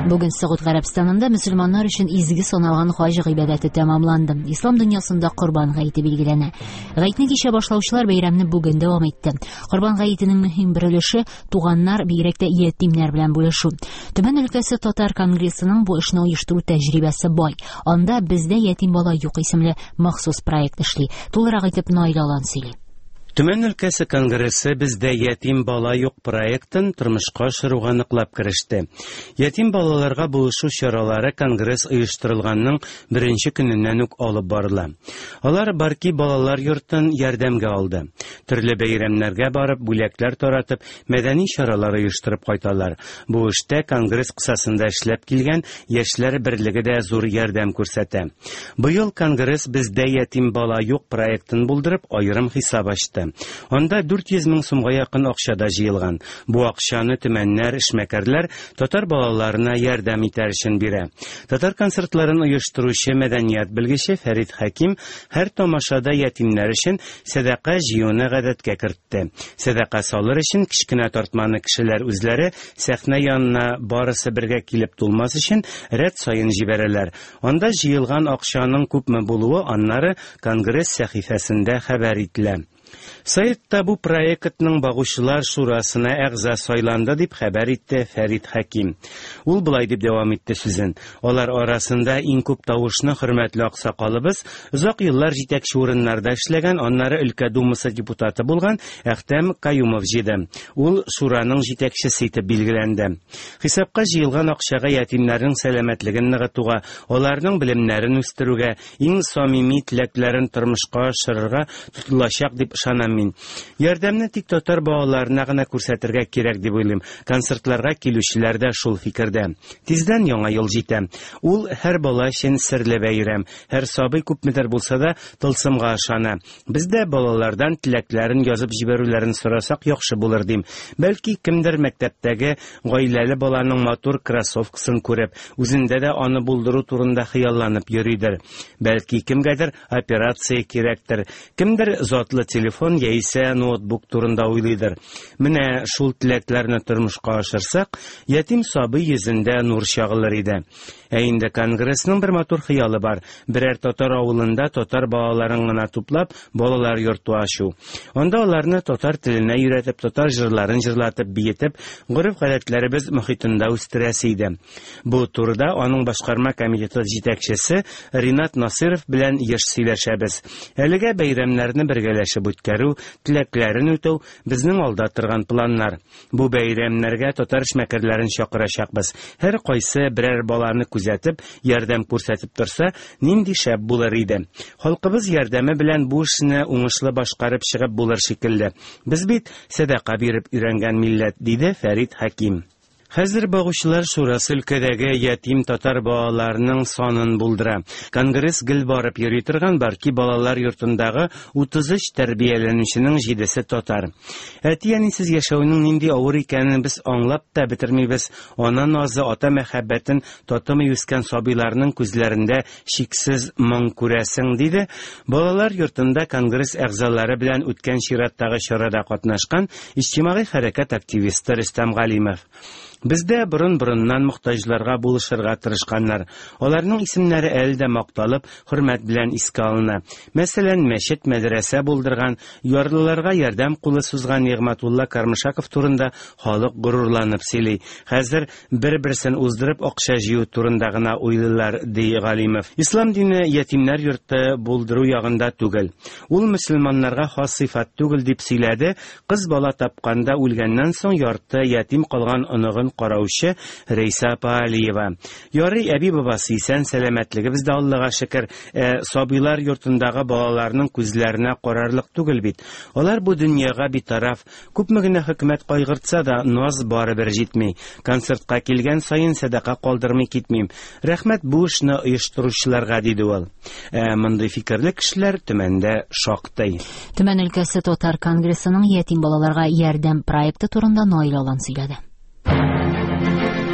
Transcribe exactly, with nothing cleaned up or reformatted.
Бүген Согуд Гарәбстанында мөселманнар өчен изге саналган хаҗ гыйбадәте тәмамланды. Ислам дөньясында Корбан гаете билгеләнә. Гаетне кичә башлаучылар бәйрәмне бүген дәвам итте. Корбан гаетенең мөһим бер өлеше туганнар, бигрәк тә ятимнәр белән бүлешү. Төмән өлкәсе татар конгрессының бу эшне оештыру тәҗрибәсе бай. Анда «Бездә ятим бала юк» исемле махсус проект эшли. Тулырак итеп Наил Алан сөйли. Төмән өлкәсе конгрессы «Бездә ятим бала юк» проектын тормышка ашыруга ныклап кереште. Ятим балаларга булышу чаралары конгресс оештырылганның беренче көненнән үк алып барыла. Алар Барки балалар йортын ярдәмгә алды. Төрле бәйрәмнәргә барып, бүләкләр таратып, мәдәни чаралар оештырып кайталар. Бу эштә конгресс кысасында эшләп килгән яшьләр берлеге дә зур ярдәм күрсәтә. Быел конгресс «Бездә ятим бала юк» проектын булдырып, аерым хисап ачты. Анда дүрт йөз мең сумга якын акча да җыелган. Бу акчаны төмәннәр, эшмәкәрләр татар балаларына ярдәм итәр өчен бирә. Татар концертларын оештыручы мәдәният белгече Фәрит Хәким һәр тамашада ятимнәр өчен сәдака җыюны гадәткә кертте. Сәдака салыр өчен кечкенә тартманы кешеләр үзләре сәхнә янына барысы бергә килеп тулмас өчен рәт саен җибәрәләр. Анда җыелган акчаның күпме булуы аннары конгресс сәхифәсендә хәбәр ителә. Сайтта бу проектның багучылар шурасына әгъза сайланды дип хәбәр итте Фәрит Хәким. Ул былай дип дәвам итте сүзен. Алар арасында иң күп тавышны хөрмәтле аксакалыбыз, озак еллар җитәкче урыннарда эшләгән, аннары өлкә думасы депутаты булган Әхтәм Каюмов җыйды. Ул шураның җитәкчесе итеп билгеләнде. Хисапка җыелган акчага ятимнәрнең сәламәтлеген ныгытуга, аларның белемнәрен үстерүгә, иң самими теләкләрен тормышка ашырырга тотылачак дип ышанам мин. Ярдәмне тик татар балаларына гына күрсәтергә кирәк дип уйлыйм. Концертларга килүчеләр дә шул фикердә. Тиздән яңа ел җитә. Ул һәр бала өчен серле бәйрәм. Һәр сабый күпмедер булса да тылсымга ышана. Без дә балалардан теләкләрен язып җибәрүләрен сорасак яхшы булыр дим. Бәлки кемдер мәктәптәге гаиләле баланың матур кроссовкасын күреп, үзендә дә аны булдыру турында хыялланып йөридер. Бәлки кемгәдер операция кирәктер. Кемдер затлы телефон яисә ноутбук турында уйлыйдыр. Менә шул теләкләрне тормышка ашырсак, ятим сабый йөзендә нур чагылыр иде. Ә инде конгрессның бер матур хыялы бар. Берәр татар авылында татар балаларын гына туплап, балалар йорты ачу. Анда аларны татар теленә өйрәтеп, татар җырларын җырлатып, биетеп, гореф-гадәтләребез мохитында үстерәсе иде. Бу турыда аның башкарма комитеты җитәкчесе Ринат Насыров белән еш сөйләшәбез. Әлегә бәйрәмнәрне бергәләшеп үткәрү, теләкләрен үтәү безнең алда торган планнар. Бу бәйрәмнәргә татар эшмәкәрләрен чакырачакбыз. Һәр кайсы берәр баланы күзәтеп, ярдәм күрсәтеп торса, нинди шәп булыр иде. Халкыбыз ярдәме белән бу эшне уңышлы башкарып чыгып булыр шикелле. Без бит сәдака биреп өйрәнгән милләт, диде Фәрит Хәким. Хәзер багучылар шурасы өлкәдәге ятим татар балаларының санын булдыра. Конгресс гел барып йөри торган Барки балалар йортындагы утыз өч тәрбияләнүченең җидесе татар. Әти-әнисез яшәүнең нинди авыр икәнен без аңлап та бетермибез. Ана назы, ата мәхәббәтен татымый үскән сабыйларның күзләрендә шиксез моң күрәсең, диде. Балалар йортында конгресс әгъзалары белән үткән чираттагы чарада катнашкан иҗтимагый хәрәкәт активисты Рөстәм Галимов. Бездә борын-борыннан мохтаҗларга булышырга тырышканнар. Аларның исемнәре әле дә макталып, хөрмәт белән искә алына. Мәсәлән, мәчет, мәдрәсә булдырган, ярлыларга ярдәм кулы сузган Нигъмәтулла Кармышаков турында халык горурланып сөйли. Хәзер бер-берсен уздырып акча җыю турында гына уйлыйлар, ди Галимов. Ислам дине ятимнәр йорты булдыру ягында түгел. Ул мөселманнарга хас сыйфат түгел дип сөйләде. Кыз бала тапканда үлгәннән соң ярты ятим калган оныгын караучы Рәйсә апа Алиева. Ярый әби бабасы исән, сәламәтлегебез дә Аллага шөкер. Ә сабыйлар йортындагы балаларның күзләренә карарлык түгел бит. Алар бу дөньяга битараф. Күпме генә хөкүмәт кайгыртса да, наз барыбер җитми. Концертка килгән саен сәдака калдырмый китмим. Рәхмәт бу эшне оештыручыларга, диде ул. Ә мондый фикерле кешеләр Төмәндә шактый. Төмән өлкәсе татар конгрессының ятим балаларга ярдәм проекты турында Наил Алан сөйләде.